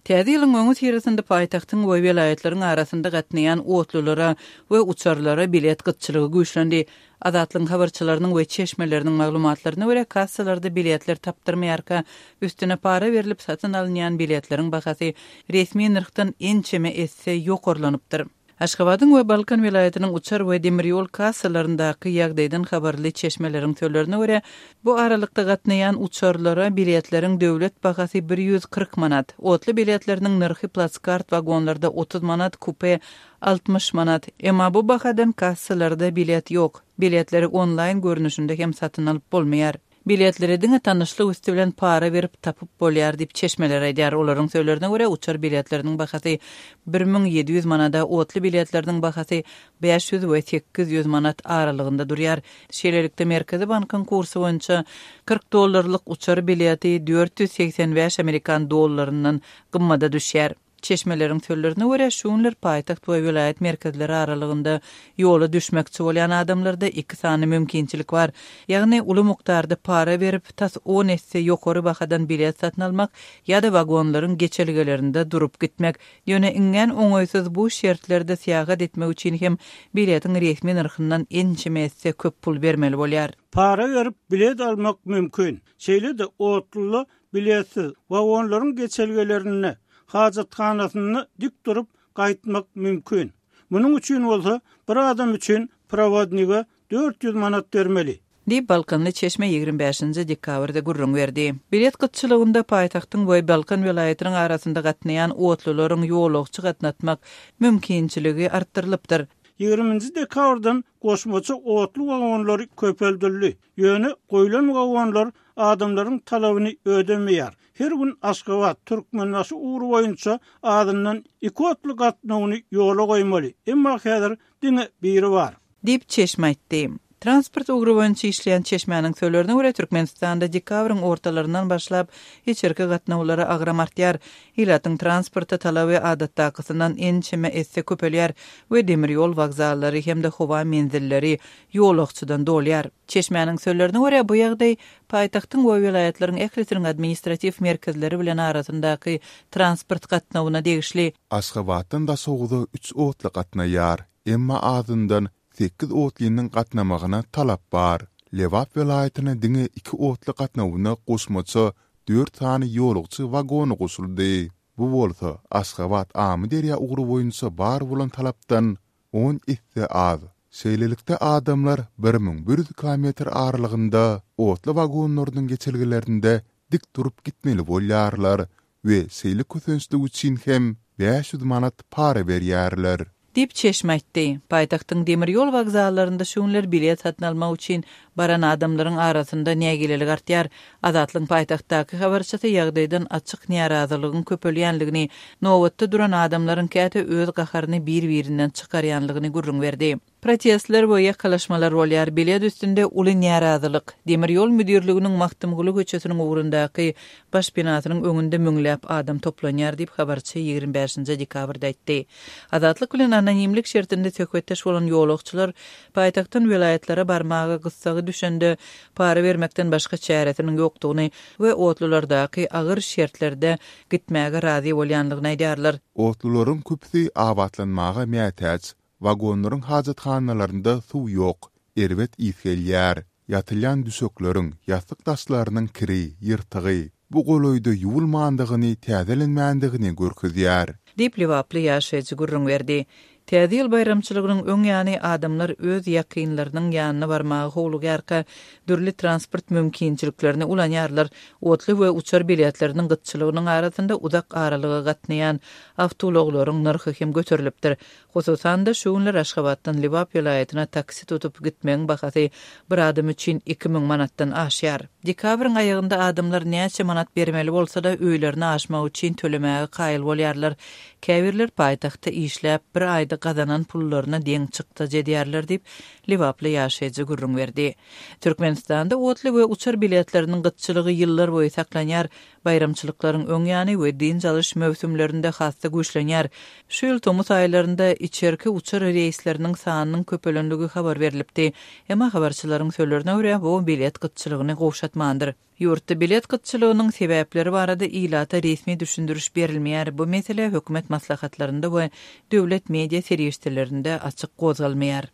Täze ýylyň öňüsyrasynda paýtagtyň we welaýatlaryň arasynda gatnaýan otlulara we uçarlara bilet gytçylygy güýçlendi. Azatlygyň habarçylarynyň we çeşmeleriniň maglumatlaryna görä, kassalarda biletler tapdyrmaýarka, üstüne para berlip satyn alynýan biletleriň bahasy resmi nyrhdan ençeme esse ýokarlanypdyr. Aşgabadyň we Balkan welaýatynyň uçar we demir ýol kassalaryndaky ýagdaýdan habarly çeşmeleriň sözlerine görä, bu aralykda gatnaýan uçarlara biletleriň döwlet bahasy 140 manat, otly biletleriniň nyrhy plaskart wagonlarda 30 manat, kupe 60 manat. Emma bu bahadan kassalarda bilet ýok. Biletleri onlaýn görnüşinde hem satyn alyp bolmaýar. Biletleri diňe tanyşlyk üsti bilen para berip tapyp bolýar diýip, çeşmeler aýdýar. Olaryň sözlerine görä, uçar biletleriniň bahasy 1700 manada, otly biletleriniň bahasy 500 we 800 manat aralygynda durýar. Şeýlelikde, Merkezi bankyň kursy boýunça 40 dollarlyk uçar bileti 485 amerikan dollaryndan gymmada düşýär. Çeşmeleriň sözlerine görä, şu günler paýtagt we welaýat merkezleri aralygynda ýola düşmekçi bolýan adamlarda iki sany mümkinçilik bar. Ýagny, uly mukdarda para berip, tas on esse ýokary bahadan bilet satyn almak ýa-da wagonlaryň geçelgelerinde durup gitmek. Ýöne iňňän oňaýsyz bu şertlerde syýahat etmek üçin hem biletiň resmi nyrhyndan ençeme esse köp pul bermeli bolýar. Para berip bilet almak mümkin. Şeýle-de otluda Biletsiz, wagonlaryň geçelgelerinde, hajathanasynda dik durup gaýtmak mümkin. Munuň üçin bolsa bir adam üçin prowodnige 400 manat bermeli. Diýip, balkanly çeşme 25 nji dekabrda gürrüň berdi. Bilet gytçylygynda paýtagtyň we Balkan welaýatynyň arasynda gatnaýan otlularyň ýolagçy gatnatmak mümkinçiligi artdyrylypdyr. Ýigriminji dekabrdan goşmaça otly wagonlary köpeldildi. Ýöne goýlan wagonlar adamlaryň talabyny ödemeýär. Her gün Aşgabat, Türkmenbaşy ugry boýunça azyndan iki otly gatnawyny ýola goýmaly, emma häzir diňe biri bar. Diýip, çeşme aýtdy. Transport ugry boýunça işleýän çeşmäniň sözlerine görä, Türkmenistanda dekabryň ortalaryndan başlap içerki gatnawlara agram artýar. Ilatyň transporta talaby adatdakysyndan ençeme esse köpelýär we demir ýol wokzallary hem-de howa menzilleri ýolagçydan dolýar. Çeşmäniň sözlerine görä, bu ýagdaý paýtagtyň we welaýatlaryň ählisiniň administratiw merkezleri bilen arasyndaky transport gatnawyna degişli. Aşgabatdan Daşoguza üç otly gatnaýar, emma azyndan sekiz otlynyň gatnamagyna talap bar. Lebap welaýatyna diňe iki otly gatnawyna goşmaça dört sany ýolagçy wagony goşuldy. Bu bolsa Aşgabat-Amyderýa ugry boýunça bar bolan talapdan on esse az. Şeýlelikde, adamlar 1100 kilometr aralygynda otly wagonlarynyň geçelgelerinde dik durup gitmeli bolýarlar we şeýle kösençlik üçin hem 500 manat para berýärler. Diýip, çeşme aýtdy. Paýtagtyň demir ýol wokzallarynda şu günler bilet satyn almak üçin baran adamlaryň arasynda nägilelik artýar. Azatlygyň paýtagtdaky habarçysy ýagdaýdan açyk närazylygyň köpelýänligini, nobatda duran adamlaryň käte öz gaharyny bir-birinden çykarýanlygyny gürrüň berdi. Protestler we ýakalaşmalar bolýar, bilet üstünde uly närazylyk. Demir ýol müdirliginiň Magtymguly köçesiniň ugrundaky baş binasynyň öňünde müňläp adam toplanýar diýip, habarçy 25 dekabrda aýtdy. Azatlyk bilen anonimlik şertinde söhbetdeş bolan ýolagçylar paýtagtdan welaýatlara barmaga gyssagy düşende para bermekden başga çäresiniň ýokdugyny we otlulardaky agyr şertlerde gitmäge razy bolýanlygyny aýdýarlar. Otlularyň köpüsi abatlanmaga mätäç. Wagonlaryň hajathanalarynda suw ýok, erbet ys gelýär. Ýatylýan düşekleriň, ýassyk daşlarynyň kiri, ýyrtygy, bu golaýda ýuwulmandygyny, täzelenmändigini görkezýär. Diýip, lebaply ýaşaýjy gürrüň berdi. Täze ýyl baýramçylygynyň öň ýany adamlar öz ýakynlarynyň ýanyna barmaga howlugýarka, dürli transport mümkinçiliklerini ulanýarlar. Otly we uçar biletleriniň gytçylygynyň arasynda uzak aralyga gatnaýan awtoulaglaryň nyrhy hem göterilipdir. Hususan-da, şu günler Aşgabatdan Lebap welaýatyna taksi tutup gitmegiň bahasy bir adam üçin 2000 manatdan aşýar. Dekabryň aýagynda adamlar näçe manat bermeli bolsa-da, öýlerine aşmak üçin tölemäge kaýyl bolýarlar. Käbirler paýtagtda işläp, bir aýda gazanan pullaryna deň çykdajy edýärler diýip, lebaply ýaşaýjy gürrüň berdi. Türkmenistanda otly we uçar biletleriniň gytçylygy ýyllar boýy saklanýar. Baýramçylyklaryň öň ýany we dynç alyş möwsümlerinde has-da güýçlenýär. Şu ýyl tomus aýlarynda içerki uçar reýsleriniň sanynyň köpelenligi habar berlipdi. Emma habarçylaryň sözlerine görä, bu bilet gytçylygyny gowşatmandyr. Ýurtda bilet gytçylygynyň sebäpleri barada ilata resmi düşündiriş berilmeýär, bu mesele hökümet maslahatlarynda we döwlet media serişdelerinde açyk gozgalmaýar.